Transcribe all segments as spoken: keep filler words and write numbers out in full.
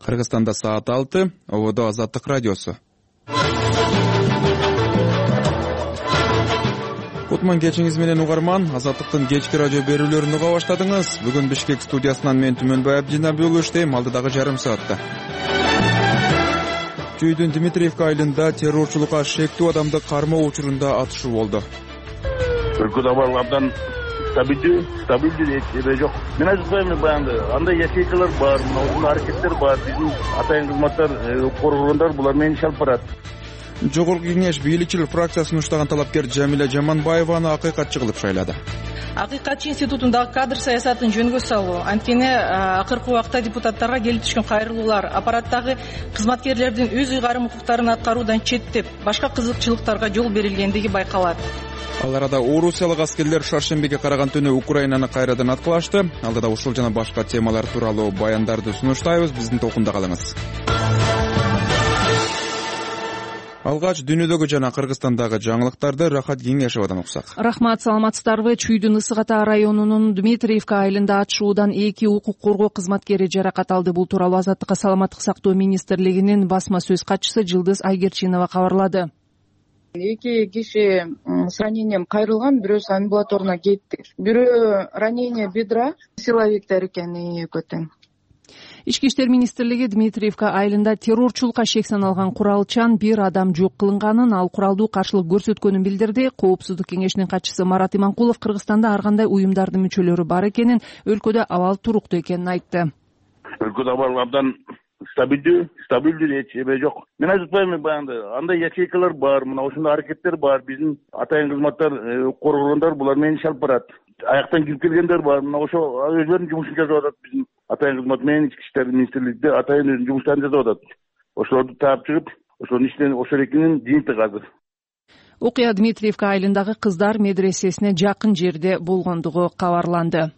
Кыргызстанда саат алты, ободо Азаттык радиосу. Кутман кечиңиз менен угарман, Азаттыктын кечки радио берүүлөрүн уга баштадыңыз. Бүгүн Бишкек студиясынан мен Түмөнбай Абдинабий уулу иштейм, алдыдагы жарым саатта. Чүйдүн Дмитриевка айылында террорчулукка шектүү адамды кармоо учурунда атышуу болду. Өлкөдө абал абдан стабилдүү, стабилдүү эч жок. Мен айтпайм, баягы андай ячейкалар бар, мына аракеттер бар. Биздин атайын кызматтар, коргонгондар булар менен иш алып барат. Жогорку кеңеш бийликчил фракциясын уштаган талапкер Жамиля Жаманбаеваны акыйкатчы кылып шайлады. Акыйкатчы институтундагы кадр саясатын жөнгө салуу, анткени акыркы убакта депутаттарга келип түшкөн кайрылуулар аппараттагы кызматкерлердин өз ыйгарым укуктарын аткаруудан четтеп, башка кызыкчылыктарга жол берилгендиги байкалат. Ал арада орусиялык аскерлер шаршембиге караган түнү Украинаны кайрадан аткылашты. Алдыда ушул жана башка темалар тууралуу баяндарды сунуштайбыз. Биздин токунда калыңыз. Алгач дүйнөдөгү жана Кыргызстандагы жаңылыктарды Рахат Кеңешовдон уксак. Рахмат, саламатсыздарбы? Чүйдүн Ысык Ата районунун Дмитриевка айылында атышуудан эки укук коргоо кызматкери жаракат алды. Бул тууралуу Азаттыкка саламаттык сактоо министрлигинин басма сөз катчысы Жылдыз Айгерчинова кабарлады. Эки киши с ранением кайрылган, бирөөсү амбулаторуна кетти. Бирөө ранение бедра, силовиктер экен экөө тең. Ички иштер министрлиги Дмитриевка айылында террорчулукка шек саналган куралчан бир адам жок кылынганын, ал куралдуу каршылык көрсөткөнүн билдирди. Коопсуздук кеңешинин катчысы Марат Иманкулов Кыргызстанда ар кандай уюмдардын мүчөлөрү бар экенин, өлкөдө абал туруктуу экенин айтты. Өлкөдө абал абдан стабилдүү, стабилдүү эч эме жок. Мен айтпайм, баягы андай ячейкалар бар, мына ушундай аракеттер бар. Биздин атайын кызматтар, коргонгондар булар менен иш алып барат. Аяктан кирип келгендер бар, мына ошо өзлөрүнүн жумушун жасап атат. Биздин атайын кызмат менен ички иштер министрлигинде атайын өзүнүн жумуштарын жасап атат. Ошолорду таап чыгып, ошонун иштен ошол экенин жыйынтыгы азыр. Окуя Дмитриевка айылындагы кыздар медресесине жакын жерде болгондугу кабарланды.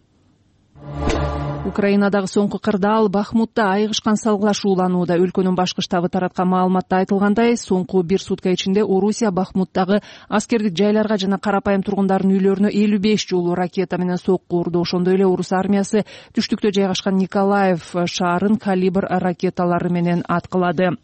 Украинадагы соңку кырдаал Бахмутта айгышкан салгылашууланууда. Өлкөнүн башкы штабы тараткан маалыматта айтылгандай, соңку бир сутка ичинде Орусия Бахмуттагы аскердик жайларга жана карапайым тургундардын үйлөрүнө элүү беш жолу ракета менен сокку урду. Ошондой эле орус армиясы түштүктө жайгашкан Николаев шаарын калибр ракеталары менен аткылады.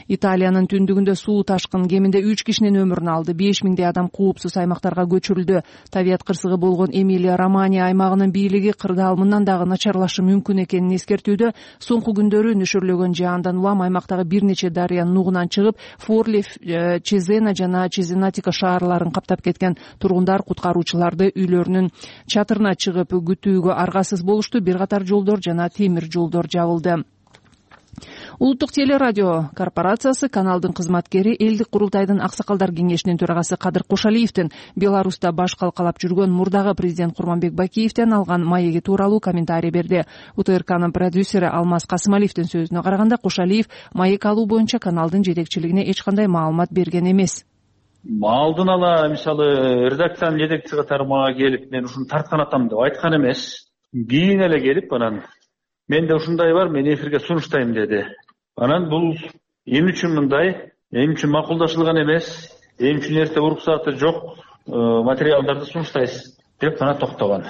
Италиянын түндүгүндө суу ташкын кеминде үч кишинин өмүрүн алды. беш миңдей адам коопсуз аймактарга көчүрүлдү. Табият кырсыгы болгон Эмилия Романия аймагынын бийлиги кырдаал мындан дагы начарлашы мүмкүн экенин эскертүүдө. Соңку күндөрү нөшөрлөгөн жаандан улам аймактагы бир нече дарыянын нугунан чыгып, Форли, Чезена жана Чезенатика шаарларын каптап кеткен. Тургундар куткаруучуларды үйлөрүнүн чатырына чыгып күтүүгө аргасыз болушту. Бир катар жолдор жана темир жолдор жабылды. Улуттук телерадио корпорациясы каналдын кызматкери элдик курултайдын аксакалдар кеңешинин төрагасы Кадыр Кошалиевдин Беларуста баш калкалап жүргөн мурдагы президент Курманбек Бакиевден алган маеги тууралуу комментарий берди. УТРКнын продюсери Алмаз Касымалиевдин сөзүнө караганда, Кошалиев маек алуу боюнча каналдын жетекчилигине эч кандай маалымат берген эмес. Алдын ала, мисалы, редакциянын жетекчиси катары мага келип, мен ушуну тарткан атам деп айткан эмес. Кийин эле келип, анан менде ушундай бар, мен эфирге сунуштайм деди. Анан бул эми үчүн мындай, эми үчүн макулдашылган эмес, эми үчүн эрте уруксаты жок материалдарды сунуштайсыз деп гана токтогон.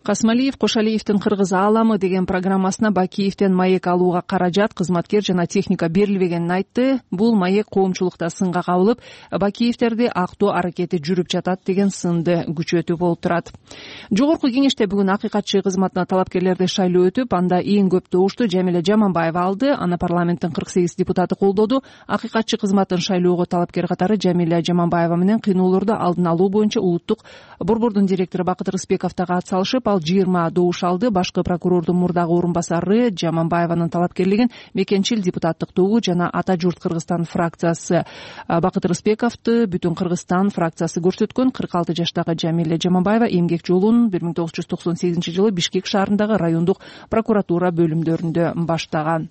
Касмалиев Кошалиевдин Кыргыз ааламы деген программасына Бакиевден маек алууга каражат, кызматкер жана техника берилбегенин айтты. Бул маек коомчулукта сынга кабылып, Бакиевдерди актоо аракети жүрүп жатат деген сынды күчөтүп болуп турат. Жогорку кеңеште бүгүн акыйкатчы кызматына талапкерлерди шайлоо өтүп, анда эң көп добушту Жамиля Жаманбаева алды. Аны парламенттин кырк сегиз депутаты колдоду. Акыйкатчы кызматын шайлоого талапкер катары Жамиля Жаманбаева менен кыйноолорду алдын алуу боюнча улуттук борбордун директору Бакыт Рыспеков дагы ат салышып, ал жыйырма добуш алды. Башкы прокурордун мурдагы орун басары Жаманбаеванын талапкерлигин мекенчил депутаттык тобу жана Ата журт Кыргызстан фракциясы Бакыт Рыспековду Бүтүн Кыргызстан фракциясы көрсөткөн. кырк алты жаштагы Жамиля Жаманбаева эмгек жолун бир миң тогуз жүз токсон сегизинчи жылы Бишкек шаарындагы райондук прокуратура бөлүмдөрүндө баштаган.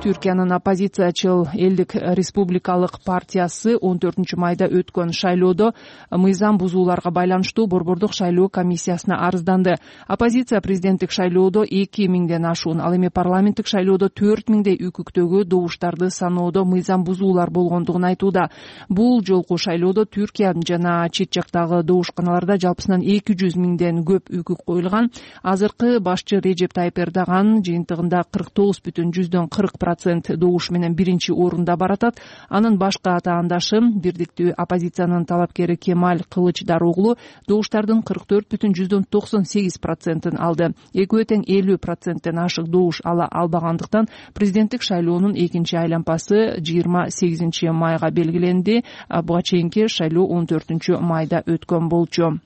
Түркиянын оппозициячыл Элдик республикалык партиясы он төртүнчү майда өткөн шайлоодо мыйзам бузууларга байланыштуу борбордук шайлоо комиссиясына арызданды. Оппозиция президенттик шайлоодо эки миңден ашуун, ал эми парламенттик шайлоодо төрт миңдей үкүктөгү добуштарды саноодо мыйзам бузуулар болгондугун айтууда. Бул жолку шайлоодо Түркия жана чет жактагы добушканаларда жалпысынан эки жүз миңден көп үкүк коюлган. Азыркы башчы Режеп Тайып Эрдоган жыйынтыгында кырк тогуз бүтүн жүздөн кырк процент добуш менен биринчи орунда баратат. Анын башка атаандашы бирдиктүү оппозициянын талапкери Кемаль Кылычдароглу добуштардын кырк төрт бүтүн жүздөн токсон сегиз процентин алды. Экөө тең элүү проценттен ашык добуш ала албагандыктан президенттик шайлоонун экинчи айлампасы жыйырма сегизинчи майга белгиленди. Буга чейинки шайлоо он төртүнчү майда өткөн болчу.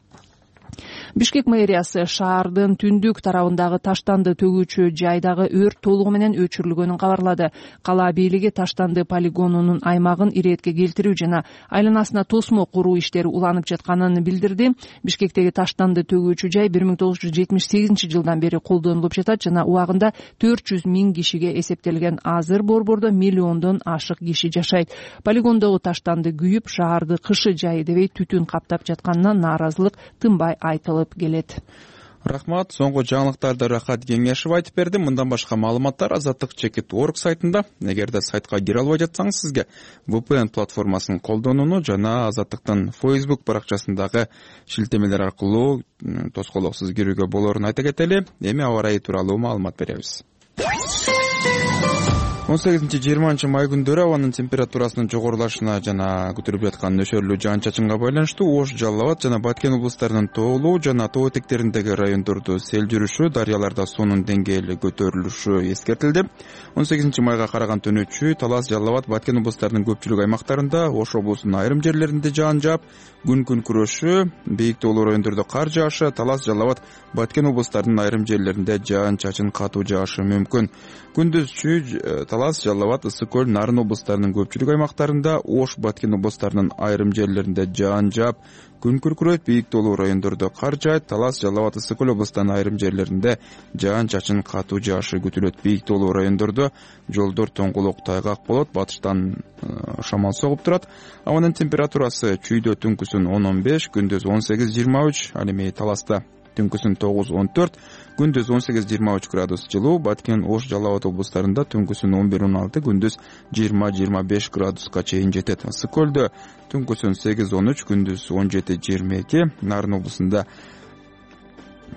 Бишкек мэриясы шаардын түндүк тарабындагы таштанды төгүүчү жайдагы өрт толугу менен өчүрүлгөнүн кабарлады. Кала бийлиги таштанды полигонунун аймагын иретке келтирүү жана айланасына тосмо куруу иштери уланып жатканын билдирди. Бишкектеги таштанды төгүүчү жай бир миң тогуз жүз жетимиш сегизинчи жылдан бери колдонулуп жатат жана убагында төрт жүз миң кишиге эсептелген. Азыр борбордо миллиондон ашык киши жашайт. Полигондогу таштанды күйүп, шаарды кышы жайы дебей түтүн каптап жатканына нааразылык тынбай айтылып келет. Рахмат. Соңку жаңылыктарды Рахат Кеңешев айтып берди. Мындан башка маалыматтар азаттык чекит точка орг сайтында. Эгерде сайтка кире албай жатсаңыз, сизге ви пи эн платформасын колдонууну жана Азаттыктын Facebook баракчасындагы шилтемелер аркылуу тоскоолоксуз кирүүгө болорун айта кетели. Эми аба ырайы тууралуу маалымат беребиз. он сегизинчи жыйырманчы май күндөрү абанын температурасынын жогорулашына жана көтөрүлүп жаткан нөсөрлүү жаан-чачынга байланыштуу Ош, Жалал Абад жана Баткен облустарынын тоолуу жана тоо этектериндеги райондордо сел жүрүшү, дарыяларда суунун деңгээли көтөрүлүшү эскертилди. он сегизинчи майга караган түнүчү Талас, Жалал Абад, Баткен облустарынын көпчүлүк аймактарында, Ош облусунун айрым жерлеринде жаан жаап, күн күрөшү, бийик тоолуу райондордо кар жаашы, Талас, Жалал Абад, Баткен облустарынын айрым жерлеринде жаан-чачын катуу жаашы мүмкүн. Күндүзчү Талас, Жалал Абад, Ысык көл, Нарын облустарынын көпчүлүк аймактарында, Ош, Баткен облустарынын айрым жерлеринде жаан жаап, күн күркүрөйт, бийик тоолуу райондордо кар жаайт. Талас, Жалал Абад, Ысык көл облустарынын айрым жерлеринде жаан-чачын катуу жаашы күтүлөт. Бийик тоолуу райондордо жолдор тоңгулук, тайгак болот, батыштан шамал согуп турат. Абанын температурасы чүйдө түнкүсүн он он беш, күндүз он сегиз жыйырма үч, ал эми Таласта түнкүсүн тогуз он төрт, күндүз он сегиз жыйырма үч градус жылуу. Баткен, Ош, Жалал Абад облустарында түнкүсүн он бир он алты, күндүз жыйырма жыйырма беш градуска чейин жетет. Ысык көлдө түнкүсүн сегиз он үч, күндүз он жети жыйырма эки, Нарын облусунда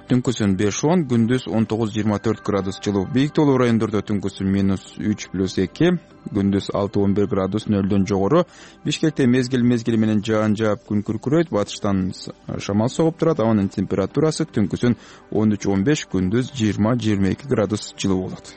түнкүсүн беш он, күндүз он тогуз жыйырма төрт градус жылуу. Бийик тоолуу райондордо түнкүсүн минус үч плюс эки, күндүз алты он бир градус нөлдөн жогору. Бишкекте мезгил мезгили менен жаан жаап, күн күркүрөйт, батыштан шамал согуп турат. Абанын температурасы түнкүсүн он үч он беш, күндүз жыйырма жыйырма эки градус жылуу болот.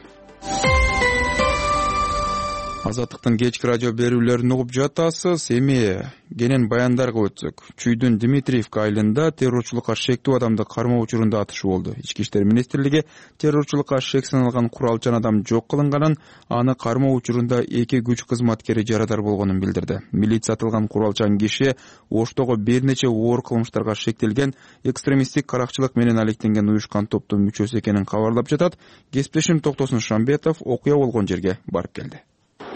Азаттыктын кечки радио берүүлөрүн угуп жатасыз. Эми кенен баяндарга өтсөк. Чүйдүн Дмитриевка айылында террорчулукка шектүү адамды кармоо учурунда атышуу болду. Ички иштер министрлиги террорчулукка шек саналган куралчан адам жок кылынганын, аны кармоо учурунда эки күч кызматкери жарадар болгонун билдирди. Милиция атылган куралчан киши Оштогу бир нече оор кылмыштарга шектелген экстремисттик каракчылык менен алектенген уюшкан топтун мүчөсү экенин кабарлап жатат. Кесиптешим Токтосун Шамбетов окуя болгон жерге барып келди.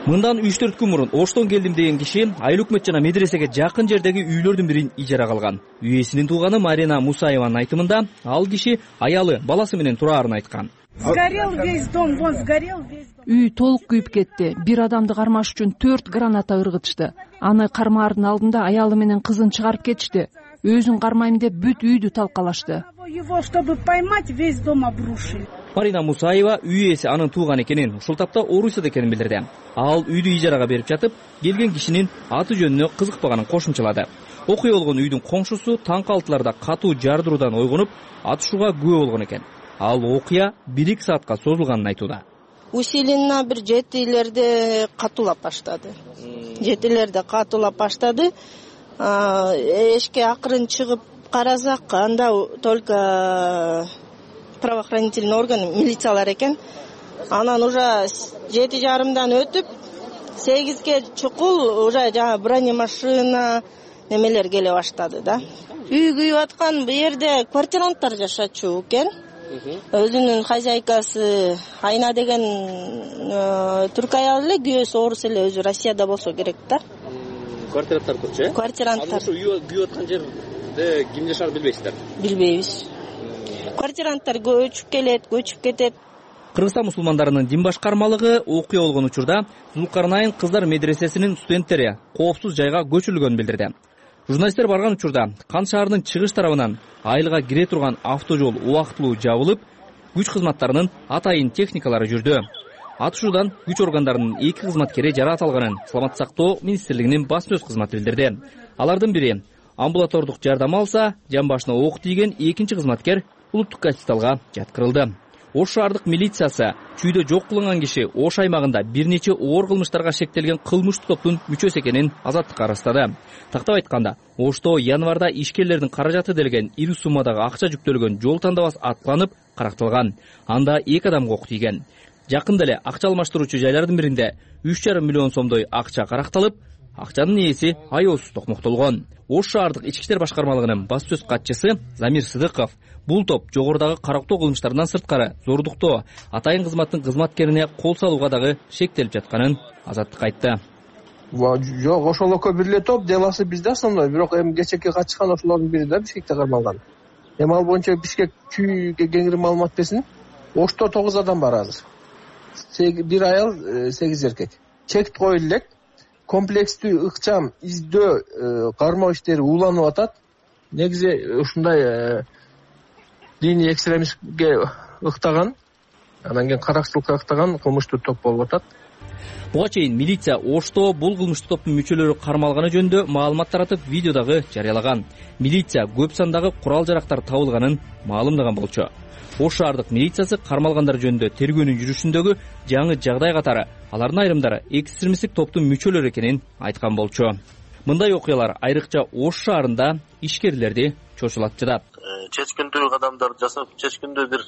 Мындан үч төрт күн мурун Оштон келдим деген киши айыл өкмөт жана медресеге жакын жердеги үйлөрдүн бирин ижарага алган. Үй ээсинин тууганы Марина Мусаеванын айтымында, ал киши аялы, баласы менен тураарын айткан. Сгорел весь дом, вон сгорел весь дом. Үй толук күйүп кетти. Бир адамды кармаш үчүн төрт граната ыргытышты. Аны кармаардын алдында аялы менен кызын чыгарып кетишти. Өзүн кармайм деп бүт үйдү талкалашты. Его, чтобы поймать, весь дом обрушили. Марина Мусаева үй ээси анын тууганы экенин, ушул тапта Орусияда экенин билдирди. Ал үйдү ижарага берип жатып, келген кишинин аты жөнүнө кызыкпаганын кошумчалады. Окуя болгон үйдүн коңшусу таң калтыларда катуу жардыруудан ойгонуп, атышууга күбө болгон экен. Ал окуя бир эки саатка созулганын айтууда. Усиленно бир жетилерде катуулап баштады. Жетилерде катуулап баштады. Эшикке акырын чыгып карасак, анда только правоохранительный орган, милициялар экен. Анан уже жети жарымдан өтүп, сегизге чукул уже жана бронемашина немелер келе баштады да. Үй күйүп аткан бу жерде квартиранттар жашачу экен. Өзүнүн хозяйкасы Айна деген түрк аял эле, күйөөсү орус эле, өзү Россияда болсо керек да. Квартиранттар турчу, э? Квартиранттар. Ошо үй күйүп аткан жерде ким жашар билбейсиздер? Билбейбиз. Квартиранттар көчүп келет, көчүп кетет. Кыргызстан мусулмандарынын дин башкармалыгы окуя болгон учурда Зулкарнайын кыздар медресесинин студенттери коопсуз жайга көчүрүлгөнүн билдирди. Журналисттер барган учурда Кан шаарынын чыгыш тарабынан айылга кире турган автожол убактылуу жабылып, күч кызматтарынын атайын техникалары жүрдү. Атышуудан күч органдарынын эки кызматкери жараат алганын Саламаттык сактоо министрлигинин басма сөз кызматы билдирди. Алардын бири амбулатордук жардам алса, жан башына ок тийген экинчи кызматкер улуттук госпиталга жаткырылды. Ош шаардык милициясы чүйдө жок кылынган киши Ош аймагында бир нече оор кылмыштарга шектелген кылмыштуу топтун мүчөсү экенин азаттыкка ырастады. Тактап айтканда, Ошто январда ишкерлердин каражаты делген ири суммадагы акча жүктөлгөн жол тандабас аткыланып каракталган. Анда эки адамга ок тийген. Жакында эле акча алмаштыруучу жайлардын биринде үч жарым миллион сомдой акча каракталып, акчанын ээси аеосуз токмоктолгон. Ош шаардык ички иштер башкармалыгынын басма сөз катчысы Замир Сыдыков бул топ жогорудагы карактоо кылмыштарынан сырткары зордуктоо, атайын кызматтын кызматкерине кол салууга дагы шектелип жатканын азаттыкка айтты. Жок, ошол экөө бир эле топ, деласы бизде основной, бирок эми кечээки катышкан ошолордун бири да Бишкекте кармалган. Эми ал боюнча Бишкек чүйгө кеңири маалымат берсин. Ошто тогуз адам бар азыр. Бир аял, сегиз эркек. Чек коюлуп элек. Комплекстүү ыкчам издөө кармоо иштери уланып атат. Негизи ушундай диний экстремистке ыктаган, анан кийин каракчылыкка ыктаган кылмыштуу топ болуп атат. Буга чейин милиция Ошто бул кылмыштуу топтун мүчөлөрү кармалганы жөнүндө маалымат таратып, видео дагы жарыялаган. Милиция көп сандагы курал жарактар табылганын маалымдаган болчу. Ош шаардык милициясы кармалгандар жөнүндө тергөөнүн жүрүшүндөгү жаңы жагдай катары алардын айрымдары экстремисттик топтун мүчөлөрү экенин айткан болчу. Мындай окуялар айрыкча Ош шаарында ишкерлерди чочулатчыдат. Чечкиндүү кадамдар жасап, чечкиндүү бир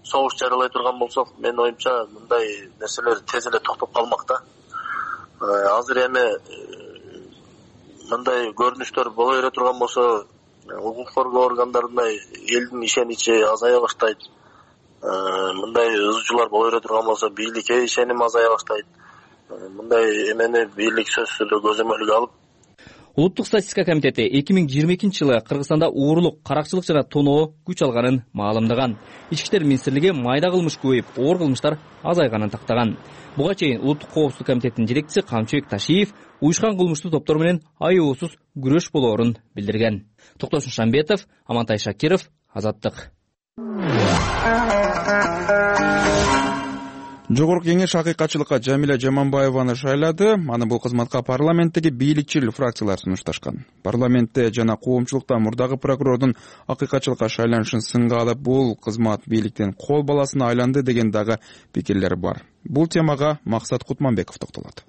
согуш жарыялай турган болсок, менин оюмча мындай нерселер тез эле токтоп калмак да. Азыр эми мындай көрүнүштөр боло бере турган болсо, укук коргоо органдарына элдин ишеничи азая баштайт. Мындай ызчуулар боло бере турган болсо, бийликке ишеним азая баштайт. Мындай эмени бийлик сөзсүз эле көзөмөлгө алып. Улуттук статистика комитети эки миң жыйырма экинчи жылы Кыргызстанда уурулук, каракчылык жана тоноо күч алганын маалымдаган. Ички иштер министрлиги майда кылмыш көбөйүп, оор кылмыштар азайганын тактаган. Буга чейин Улуттук коопсуздук комитетинин жетекчиси Камчыбек Ташиев уюшкан кылмыштуу топтор менен аеосуз күрөш болоорун билдирген. Токтош Шамбетов, Амантай Шакиров, Азаттык. Жогорку кеңеш акыйкатчылыкка Жамиля Жаманбаеваны шайлады. Аны бул кызматка парламенттеги бийликчил фракциялар сунушташкан. Парламентте жана коомчулукта мурдагы прокурордун акыйкатчылыкка шайланышын сынга алып, бул кызмат бийликтин кол баласына айланды деген дагы пикирлер бар. Бул темага Максат Кутманбеков токтолот.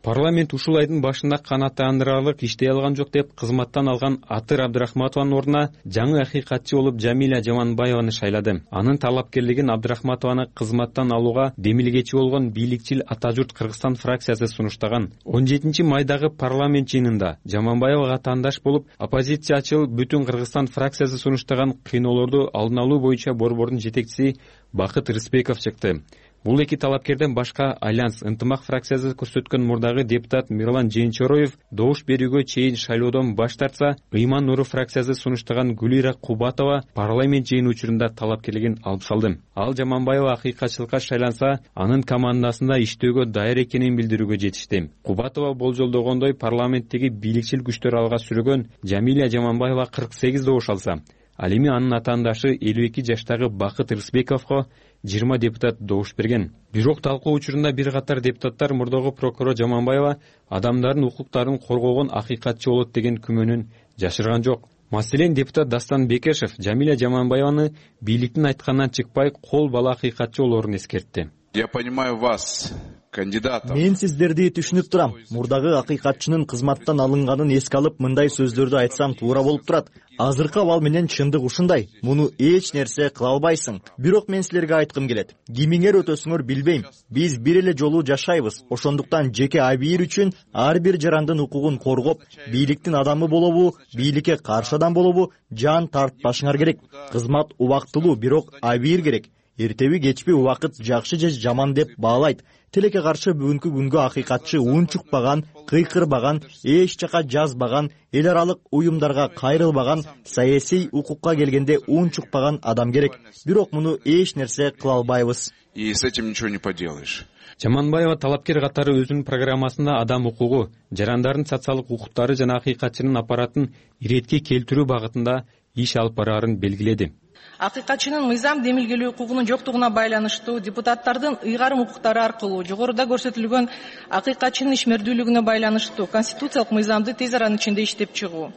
Парламент ушул айдын башында канааттандырарлык иштей алган жок деп кызматтан алган Атыр Абдрахматованын ордуна жаңы акыйкатчы болуп Жамиля Жаманбаеваны шайлады. Анын талапкерлигин Абдрахматованы кызматтан алууга демилгечи болгон бийликчил Ата журт Кыргызстан фракциясы сунуштаган. он жетинчи майдагы парламент жыйынында Жаманбаевага тандаш болуп, оппозициячыл Бүтүн Кыргызстан фракциясы сунуштаган кыйноолорду алдын алуу боюнча борбордун жетекчиси Бакыт Рыспеков чыкты. Бул эки талапкерден башка Альянс ынтымак фракциясы көрсөткөн мурдагы депутат Мирлан Жээнчороев добуш берүүгө чейин шайлоодон баш тартса, Ыйман Нуру фракциясы сунуштаган Гулира Кубатова парламент жыйыны учурунда талапкерлигин алып салды. Ал Жаманбаева акыйкатчылыкка шайланса, анын командасында иштөөгө даяр экенин билдирүүгө жетишти. Кубатова болжолдогондой парламенттеги бийликчил күчтөр алга сүрөгөн Жамиля Жаманбаева кырк сегиз добуш алса, ал эми анын атаандашы элүү эки жаштагы Бакыт Рысбековго жыйырма депутат добуш берген. Бирок талкуу учурунда бир катар депутаттар мурдагы прокурор Жаманбаева адамдардын укуктарын коргогон акыйкатчы болот деген күмөнүн жашырган жок. Маселен, депутат Дастан Бекешев Жамиля Жаманбаеваны бийликтин айтканынан чыкпай кол бала акыйкатчы болоорун эскертти. Я понимаю вас кандидатов. Мен сиздерди түшүнүп турам. Мурдагы акыйкатчынын кызматтан алынганын эске алып, мындай сөздөрдү айтсам туура болуп турат. Азыркы абал менен чындык ушундай. Муну эч нерсе кыла албайсың. Бирок мен силерге айткым келет. Кимиңер өтөсүңөр билбейм. Биз бир эле жолу жашайбыз. Ошондуктан жеке абийир үчүн ар бир жарандын укугун коргоп, бийликтин адамы болобу, бийликке каршы адам болобу, жан тартпашыңар керек. Кызмат убактылуу, бирок абийир керек. Эртеби кечпи убакыт жакшы же жаман деп баалайт. Тилекке каршы бүгүнкү күнгө акыйкатчы унчукпаган, кыйкырбаган, эч жака жазбаган, эл аралык уюмдарга кайрылбаган, саясий укукка келгенде унчукпаган адам керек. Бирок муну эч нерсе кыла албайбыз. И с этим ничего не поделаешь. Жаманбаева талапкер катары өзүнүн программасында адам укугу, жарандардын социалдык укуктары жана акыйкатчынын аппаратын иретке келтирүү багытында иш алып бараарын белгиледи. Акыйкатчынын мыйзам демилгелөө укугунун жоктугуна байланыштуу депутаттардын ыйгарым укуктары аркылуу жогоруда көрсөтүлгөн акыйкатчынын ишмердүүлүгүнө байланыштуу конституциялык мыйзамды тез аранын ичинде иштеп чыгуу.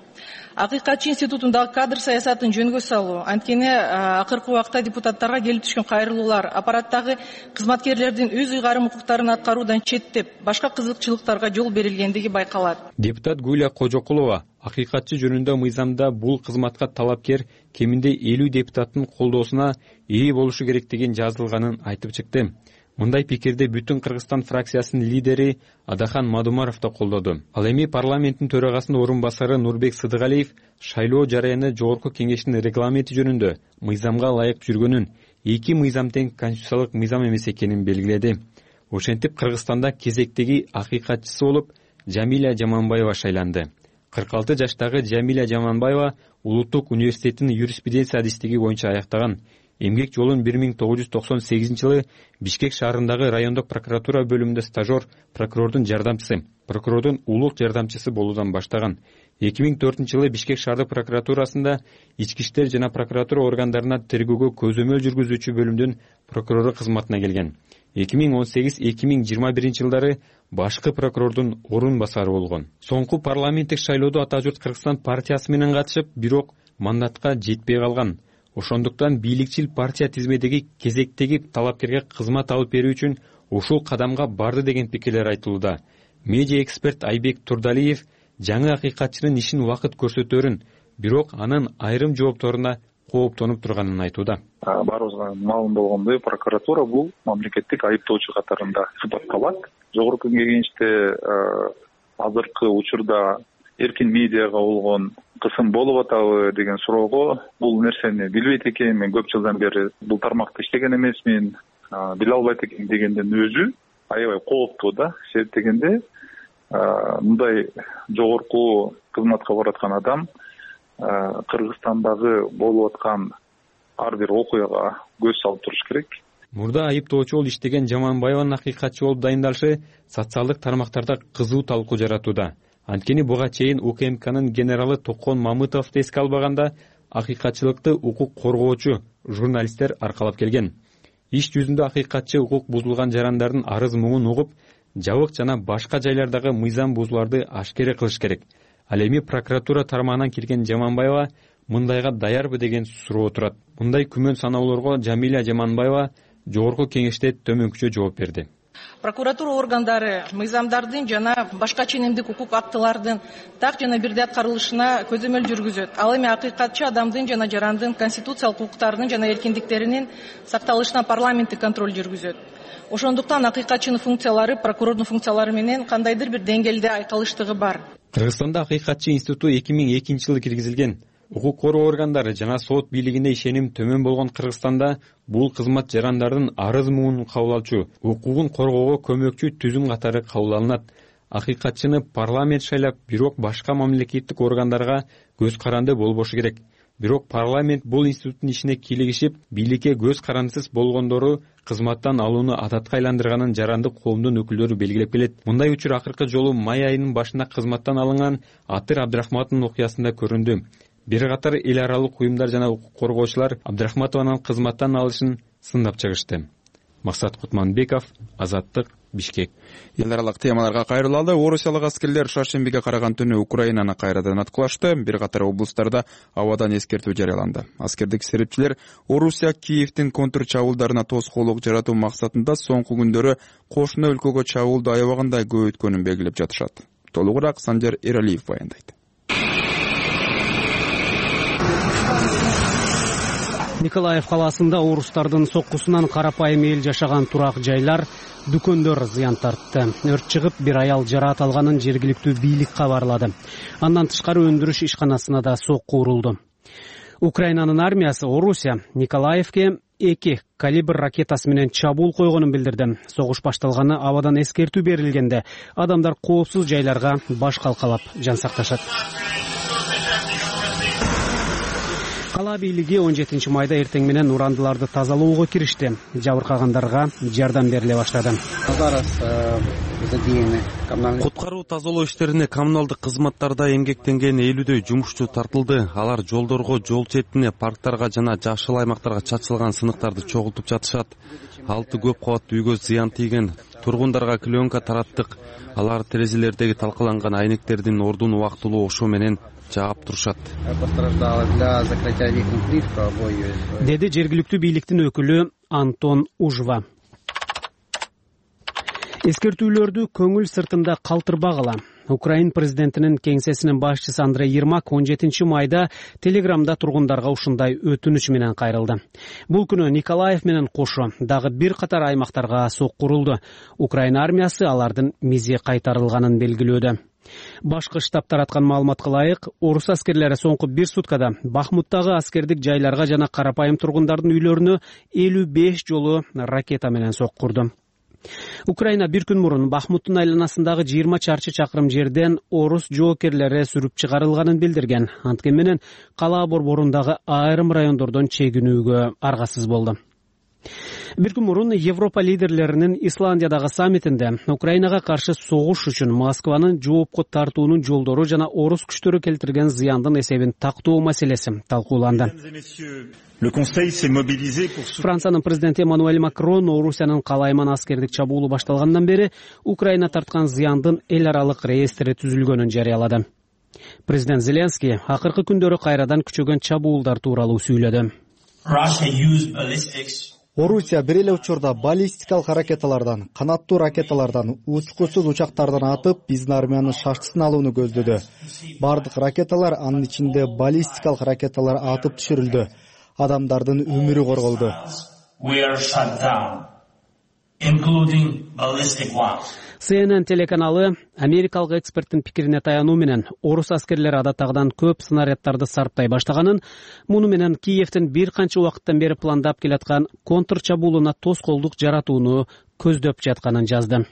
Акыйкатчы институтундагы кадр саясатын жөнгө салуу, анткени акыркы убакта депутаттарга келип түшкөн кайрылуулар аппараттагы кызматкерлердин өз ыйгарым укуктарын аткаруудан четтеп, башка кызыкчылыктарга жол берилгендиги байкалат. Депутат Гүлия Кожокулова акыйкатчы жөнүндө мыйзамда бул кызматка талапкер кеминде элүү депутаттын колдоосуна ээ болушу керектигин жазылганын айтып чыкты. Мындай пикирди Бүтүн Кыргызстан фракциясынын лидери Адахан Мадумаров да колдоду. Ал эми парламенттин төрагасынын орун басары Нурбек Сыдыгалиев шайлоо жараяны жогорку кеңештин регламенти жөнүндө мыйзамга ылайык жүргөнүн, эки мыйзам тең конституциялык мыйзам эмес экенин белгиледи. Ошентип Кыргызстанда кезектеги акыйкатчысы болуп Жамиля Жаманбаева шайланды. кырк алты жаштагы Жамиля Жаманбаева Улуттук университеттин юриспруденция адистиги боюнча аяктаган. Эмгек жолун бир миң тогуз жүз токсон сегизинчи жылы Бишкек шаарындагы райондук прокуратура бөлүмүндө стажер, прокурордун жардамчысы, прокурордун улук жардамчысы болуудан баштаган. эки миң төртүнчү жылы Бишкек шаардык прокуратурасында ички иштер жана прокуратура органдарына тергөөгө көзөмөл жүргүзүүчү бөлүмдүн прокурору кызматына келген. эки миң он сегиз эки миң жыйырма биринчи жылдары башкы прокурордун орун басары болгон. Соңку парламенттик шайлоодо Ата журт Кыргызстан партиясы менен катышып, бирок мандатка жетпей калган. Ошондуктан бийликчил партия тизмедеги кезектеги талапкерге кызмат алып берүү үчүн ушул кадамга барды деген пикирлер айтылууда. Медиа эксперт Айбек Турдалиев жаңы акыйкатчынын ишин убакыт көрсөтөрүн, бирок анын айрым жоопторуна кооптонуп турганын айтууда. Баарыбызга маалым болгондой, прокуратура бул мамлекеттик айыптоочу катарында сыпатталат. Жогорку кеңеште азыркы учурда эркин медиага болгон кысым болуп атабы деген суроого бул нерсени билбейт экен, мен көп жылдан бери бул тармакта иштеген эмесмин, биле албайт экен дегенден өзү аябай кооптуу да. Себеп дегенде мындай жогорку кызматка бараткан адам Кыргызстандагы болуп аткан ар бир окуяга көз салып туруш керек. Мурда айыптоочу болуп иштеген Жаманбаеванын акыйкатчы болуп дайындалышы социалдык тармактарда кызуу талкуу жаратууда. Анткени буга чейин УКМКнын генералы Токон Мамытовду эске албаганда акыйкатчылыкты укук коргоочу журналисттер аркалап келген. Иш жүзүндө акыйкатчы укук бузулган жарандардын арыз муңун угуп, жабык жана башка жайлардагы мыйзам бузууларды ашкере кылыш керек. Ал эми прокуратура тармагынан келген Жаманбаева мындайга даярбы деген суроо турат. Мындай күмөн саноолорго Жамиля Жаманбаева жогорку кеңеште төмөнкүчө жооп берди. Прокуратура органдары мыйзамдардын жана башка ченемдик укук актылардын так жана бирдей аткарылышына көзөмөл жүргүзөт. Ал эми акыйкатчы адамдын жана жарандын конституциялык укуктарынын жана эркиндиктеринин сакталышына парламенттик контроль жүргүзөт. Ошондуктан акыйкатчынын функциялары прокурордун функциялары менен кандайдыр бир деңгээлде айкалыштыгы бар. Кыргызстанда акыйкатчы институту эки миң экинчи жылы киргизилген. Укук коргоо органдары жана сот бийлигине ишеним төмөн болгон Кыргызстанда бул кызмат жарандардын арыз муңун кабыл алчу, укугун коргоого көмөкчү түзүм катары кабыл алынат. Акыйкатчыны парламент шайлап, бирок башка мамлекеттик органдарга көз каранды болбошу керек. Бирок парламент бул институттун ишине кийлигишип, бийликке көз карандысыз болгондору кызматтан алууну адатка айландырганын жарандык коомдун өкүлдөрү белгилеп келет. Мындай учур акыркы жолу май айынын башында кызматтан алынган Атыр Абдрахматовдун окуясында көрүндү. Бир катар эл аралык уюмдар жана укук коргоочулар Абдрахматованын кызматтан алышын сындап чыгышты. Максат Кутманбеков, Азаттык, Бишкек. Эл аралык темаларга кайрылалы. Орусиялык аскерлер шаршембиге караган түнү Украинаны кайрадан аткылашты. Бир катар облустарда абадан эскертүү жарыяланды. Аскердик серепчилер Орусия Киевдин контр чабуулдарына тоскоолдук жаратуу максатында соңку күндөрү кошуна өлкөгө чабуулду аябагандай көбөйткөнүн белгилеп жатышат. Толугураак Санжар Эралиев баяндайт. Николаев калаасында орустардын соккусунан карапайым эл жашаган турак жайлар, дүкөндөр зыян тартты. Өрт чыгып, бир аял жараат алганын жергиликтүү бийлик кабарлады. Андан тышкары өндүрүш ишканасына да сокку урулду. Украинанын армиясы Орусия Николаевке эки калибр ракетасы менен чабуул койгонун билдирди. Согуш башталганы абадан эскертүү берилгенде адамдар коопсуз жайларга баш калкалап жан сакташат. Кала бийлиги он жетинчи майда эртең менен урандыларды тазалоого киришти. Жабыркагандарга жардам бериле баштады. Куткаруу тазалоо иштерине коммуналдык кызматтарда эмгектенген элүүдөй жумушчу тартылды. Алар жолдорго, жол четине, парктарга жана жашыл аймактарга чачылган сыныктарды чогултуп жатышат. Алты көп кабаттуу үйгө зыян тийген. Тургундарга клеенка тараттык. Алар терезелердеги талкаланган айнектердин ордун убактылуу ошо менен жаап турушат, деди жергиликтүү бийликтин өкүлү Антон Ужва. Эскертүүлөрдү көңүл сыртында калтырбагыла. Украин президентинин кеңсесинин башчысы Андрей Ермак он жетинчи майда телеграмда тургундарга ушундай өтүнүч менен кайрылды. Бул күнү Николаев менен кошо дагы бир катар аймактарга сокку урулду. Украина армиясы алардын мизи кайтарылганын белгилөөдө. Башкы штаб тараткан маалыматка ылайык, орус аскерлери соңку бир суткада Бахмуттагы аскердик жайларга жана карапайым тургундардын үйлөрүнө элүү беш жолу ракета менен сокку урду. Украина бир күн мурун Бахмуттун айланасындагы жыйырма чарчы чакырым жерден орус жоокерлери сүрүп чыгарылганын билдирген. Анткени менен калаа борборундагы айрым райондордон чегинүүгө аргасыз болду. Бир күн мурун Европа лидерлеринин Исландиядагы саммитинде Украинага каршы согуш үчүн Москванын жоопко тартуунун жолдору жана орус күчтөрү келтирген зыяндын эсебин тактоо маселеси талкууланды. Франциянын президенти Эммануэль Макрон Орусиянын калайман аскердик чабуулу башталгандан бери Украина тарткан зыяндын эл аралык реестри түзүлгөнүн жарыялады. Президент Зеленский акыркы күндөрү кайрадан күчөгөн чабуулдар тууралуу сүйлөдү. Орусия бир эле учурда баллистикалык ракеталардан, канаттуу ракеталардан, учкусуз учактардан атып, биздин армиянын шаштысын алууну көздөдү. Бардык ракеталар, анын ичинде баллистикалык ракеталар атып түшүрүлдү. Адамдардын өмүрү корголду. Си Эн Эн телеканалы америкалык эксперттин пикирине таянуу менен орус аскерлери адаттагыдан көп снаряддарды сарптай баштаганын, муну менен Киевдин бир канча убакыттан бери пландап келаткан контр чабуулуна тоскоолдук жаратууну көздөп жатканын жазды.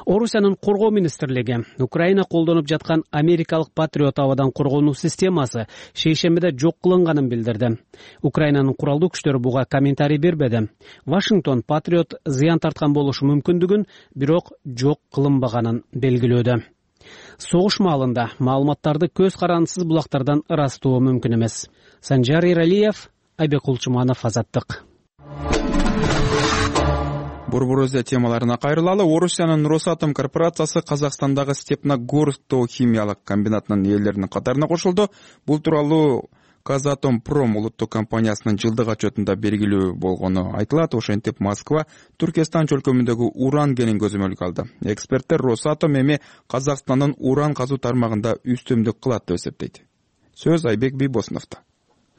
Орусиянын коргоо министрлиги Украина колдонуп жаткан америкалык Патриот абадан коргонуу системасы шейшембиде жок кылынганын билдирди. Украинанын куралдуу күчтөрү буга комментарий бербеди. Вашингтон Патриот зыян тарткан болушу мүмкүндүгүн, бирок жок кылынбаганын белгилөөдө. Согуш маалында маалыматтарды көз карандысыз булактардан ырастоо мүмкүн эмес. Санжар Эралиев, Айбек Кулчуманов, Азаттык. Борбор Азия темаларына кайрылалы. Орусиянын Росатом корпорациясы Казакстандагы Степногорск тоо химиялык комбинатынын ээлеринин катарына кошулду. Бул тууралуу Казатомпром улуттук компаниясынын жылдык отчетунда белгилүү болгону айтылат. Ошентип Москва Түркистан чөлкөмүндөгү уран кенин көзөмөлгө алды. Эксперттер Росатом эми Казакстандын уран казуу тармагында үстөмдүк кылат деп эсептейт. Сөз Айбек Бийбосуновдо.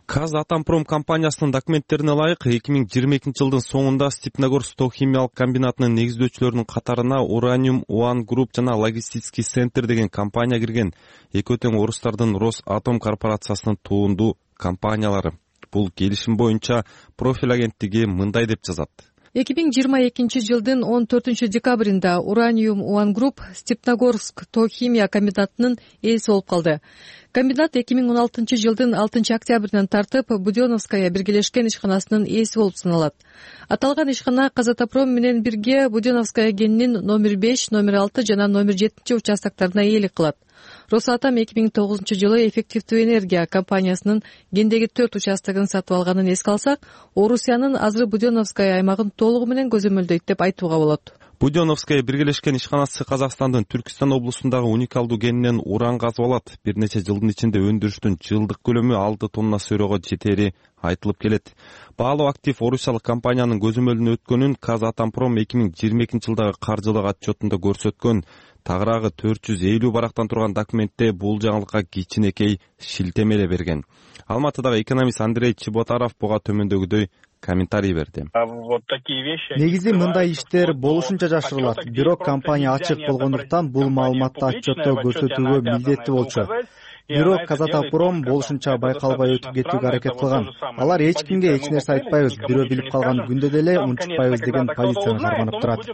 Казатомпром компаниясынын документтерине ылайык, эки миң жыйырма экинчи жылдын соңунда Степногорск тоо химиялык комбинатынын негиздөөчүлөрүнүн катарына Uranium One Group жана Логистический центр деген компания кирген. Экөө тең орустардын Росатом корпорациясынын туунду компаниялары. Бул келишим боюнча профиль агенттиги мындай деп жазат. эки миң жыйырма экинчи жылдын он төртүнчү декабрында Uranium One Group Степногорск тоо химия комбинатынын ээси болуп калды. Комбинат эки миң он алтынчы жылдын алтынчы октябрынан тартып Будённовская биргелешкен ишканасынын ээси болуп саналат. Аталган ишкана Казатомпром менен бирге Будённовская кенинин номер беш, номер алты жана номер жетинчи участокторуна ээлик кылат. Росатом эки миң тогузунчу жылы эффективдүү энергия компаниясынын Гендеги төрт участогун сатып алганын эске алсак, Орусиянын азыр Будённовская аймагын толугу менен көзөмөлдөйт деп айтууга болот. Будённовская биргелешкен ишканасы Казакстандын Түркистан облусундагы уникалдуу кенинен уран казып алат. Бир нече жылдын ичинде өндүрүштүн жылдык көлөмү алты тонна сөрөгө жетери айтылып келет. Баалуу актив орусиялык компаниянын көзөмөлүнө өткөнүн Казатомпром эки миң жыйырма экинчи жылдагы каржылык отчетунда көрсөткөн. Тагыраагы төрт жүз элүү барактан турган документте бул жаңылыкка кичинекей шилтеме эле берген. Алматыдагы экономист Андрей Чеботаров буга төмөндөгүдөй комментарий берди. Негизи мындай иштер болушунча жашырылат. Бирок компания ачык болгондуктан бул маалыматты отчетто көрсөтүүгө милдеттүү болчу. Бирок Казатомпром болушунча байкалбай өтүп кетүүгө аракет кылган. Алар эч кимге эч нерсе айтпайбыз, бирөө билип калган күндө деле унутпайбыз деген позицияны карманып турат.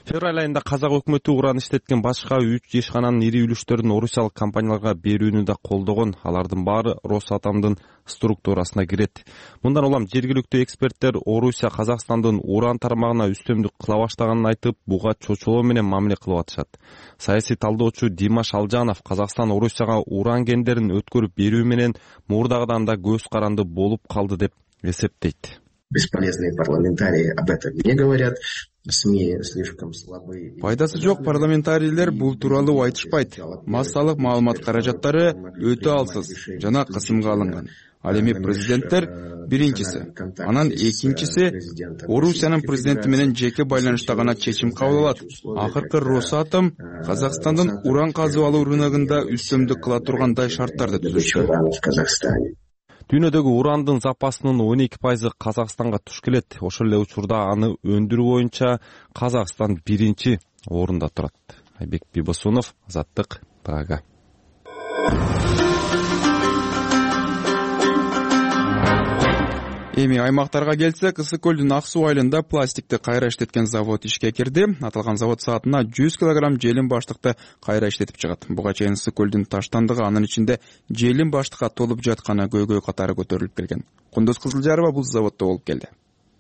Февраль айында казак өкмөтү уран иштеткен башка үч ишкананын ири үлүштөрүн орусиялык компанияларга берүүнү да колдогон. Алардын баары Росатомдун структурасына кирет. Мындан улам жергиликтүү эксперттер Орусия Казакстандын уран тармагына үстөмдүк кыла баштаганын айтып, буга чочулоо менен мамиле кылып атышат. Саясий талдоочу Димаш Алжанов Казакстан Орусияга уран кендерин өткөрүп берүү менен мурдагыдан да көз каранды болуп калды деп эсептейт. Бесполезные парламентарии об этом не говорят. СМИ слишком слабые. Пайдасы жок парламентарийлер бул тууралуу айтышпайт. Массалык маалымат каражаттары өтө алсыз жана кысымга алынган. Ал эми президенттер биринчиси, анан экинчиси Орусиянын президенти менен жеке байланышта гана чечим кабыл алат. Акыркы Росатом Казакстандын уран казып алуу рыногунда үстөмдүк кыла тургандай шарттарды түзүшкөн. Дүйнөдөгү урандын запасынын он эки пайызы Казакстанга туш келет. Ошол эле учурда аны өндүрүү боюнча Казакстан биринчи орунда турат. Айбек Бибосунов, Азаттык, Прага. Эми аймактарга келсек, Ысык көлдүн Ак суу айылында пластикти кайра иштеткен завод ишке кирди. Аталган завод саатына жүз килограмм желим баштыкты кайра иштетип чыгат. Буга чейин Ысык көлдүн таштандыгы, анын ичинде желим баштыкка толуп жатканы көйгөй катары көтөрүлүп келген. Кундуз Кызылжарова бул заводдо болуп келди.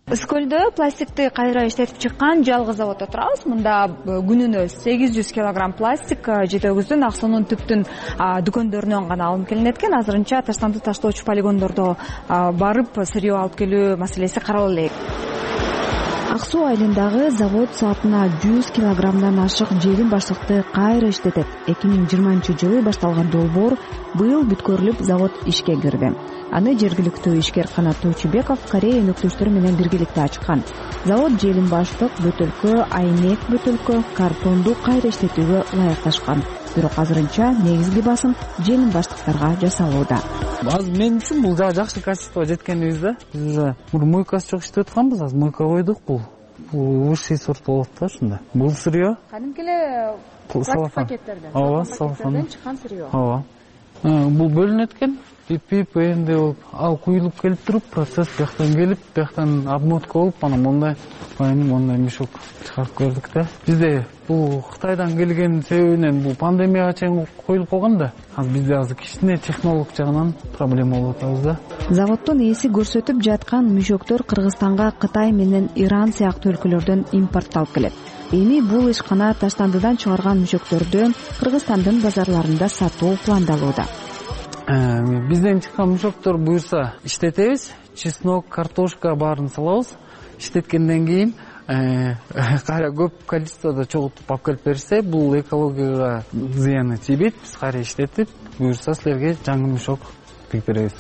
Ысык көлдө пластикти кайра иштетип чыккан жалгыз заводдо турабыз. Мында күнүнө сегиз жүз килограмм пластик жетөбүздүн Ак суунун түптүн дүкөндөрүнөн гана алынып келинет экен. Азырынча таштанды таштоочу полигондордо барып сырьё алып келүү маселеси карала элек. Ак суу айылындагы завод саатына жүз килограммдан ашык желим баштыкты кайра иштетет. эки миң жыйырманчы жылы башталган долбоор быйыл бүткөрүлүп завод ишке кирди. Аны жергиликтүү ишкер Канат Тойчубеков Корея өнөктөштөрү менен биргеликте ачкан. Завод желим баштык, бөтөлкө, айнек бөтөлкө, картонду кайра иштетүүгө ылайыкташкан. Бирок азырынча негизги басым желим баштыктарга жасалууда. Азыр мен үчүн бул дагы жакшы качествого жеткенибиз да. Биз уже мойкасы жок иштеп атканбыз, азыр мойка койдук. Бул бул высший сорт болот да ушунда. Бул сырьё кадимки эле пластик пакеттерден, ооба, салфан чыккан сырьё. Ооба. Бул бөлүнөт экен. Пип-пип энди болуп, ал куюлуп келип туруп, процесс бияктан келип, бияктан обмотка болуп, анан мондай, мондай мешок чыгарып көрдүк да. Бизде бул Кытайдан келген себебинен бул пандемияга чейин коюлуп калган да. Азыр бизде азыр кичине технолог жагынан проблема болуп атабыз да. Заводдун ээси көрсөтүп жаткан мешоктор Кыргызстанга Кытай менен Иран сыяктуу өлкөлөрдөн импортталып келет. Эми бул ишкана таштандыдан чыгарган мешөктөрдөн Кыргызстандын базарларында сатуу пландалууда. Бизден чыккан мешоктор буюрса иштетебиз. Чеснок, картошка баарын салабыз. Иштеткенден кийин кайра көп количестводо чогултуп алып келип берсе, бул экологияга зыяны тийбейт. Биз кайра иштетип, буюрса силерге жаңы мешок тигип беребиз.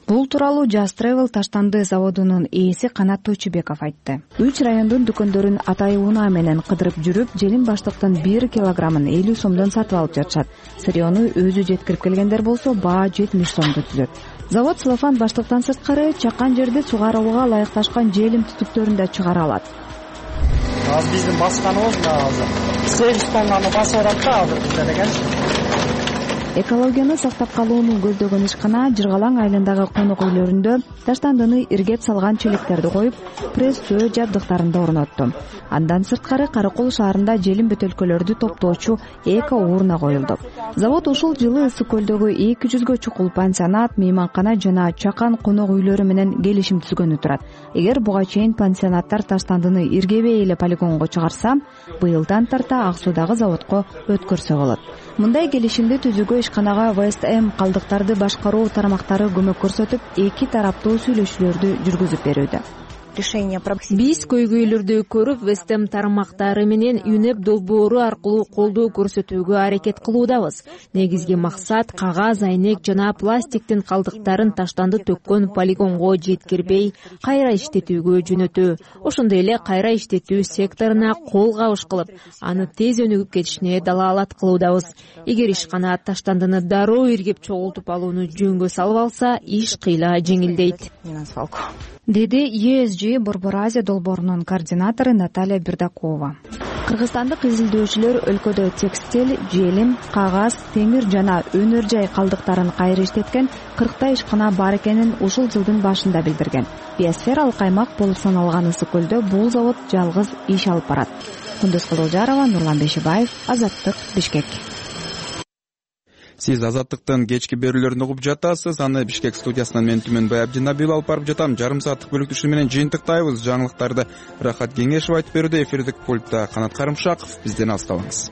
Бул тууралуу Jazz Travel таштанды заводунун ээси Канат Тойчубеков айтты. Үч райондун дүкөндөрүн атай унаа менен кыдырып жүрүп, желим баштыктын бир килограммын элүү сомдон сатып алып жатышат. Сырьёну өзү жеткирип келгендер болсо, баа жетимиш сомду түзөт. Завод целлофан баштыктан сырткары чаккан жерде сугарууга ылайыкташкан желим түтүктөрүн да чыгара алат. Азыр биздин басканыбыз мына азыр сегиз тоннаны басып атат да азыр бизде деген. экологияны сактап калууну көздөгөн ишкана Жыргалаң айылындагы конок үйлөрүндө таштандыны иргеп салган челектерди коюп, пресстөө жабдыктарында орнотту. Андан сырткары Каракол шаарында желим бөтөлкөлөрдү топтоочу эко урна коюлду. Завод ушул жылы Ысык көлдөгү эки жүзгө чукул пансионат, мейманкана жана чакан конок үйлөрү менен келишим түзгөнү турат. Эгер буга чейин пансионаттар таштандыны иргебей эле полигонго чыгарса, быйылдан тарта Ак Суудагы заводко өткөрсө болот. Мындай келишимди түзүүгө ишканага ВСТМ калдыктарды башкаруу тармактары көмөк көрсөтүп, эки тараптуу сүйлөшүүлөрдү жүргүзүп берүүдө. Биз көйгөйлөрдү көрүп, ВСТМ тармактары менен ЮНЕП долбоору аркылуу колдоо көрсөтүүгө аракет кылуудабыз. Негизги максат кагаз, айнек жана пластиктин калдыктарын таштанды төккөн полигонго жеткирбей, кайра иштетүүгө жөнөтүү. Ошондой эле кайра иштетүү секторуна кол кабыш кылып, аны тез өнүгүп кетишине далаалат кылуудабыз. Эгер ишкана таштандыны дароо иргеп чогултуп алууну жөнгө салып алса, иш кыйла жеңилдейт, деди Е С Ж Борбор Азия долбоорунун координатору Наталья Бердакова. Кыргызстандык изилдөөчүлөр өлкөдө текстиль, желим, кагаз, темир жана өнөр жай калдыктарын кайра иштеткен кырктай ишкана бар экенин ушул жылдын башында билдирген. Биосфералык аймак болуп саналган Ысык көлдө бул завод жалгыз иш алып барат. Кундуз Кылылжарова, Нурлан Бешибаев, Азаттык, Бишкек. Сиз Азаттыктын кечки берүүлөрүн угуп жатасыз. Аны Бишкек студиясынан мен Түмөнбай Абдинабил алып барып жатам. Жарым сааттык бөлүктүшү менен жыйынтыктайбыз. Жаңылыктарды Рахат Кеңешев айтып берүүдө, эфирдик пультта Канат Карымшаков. Бизден алыстабаңыз.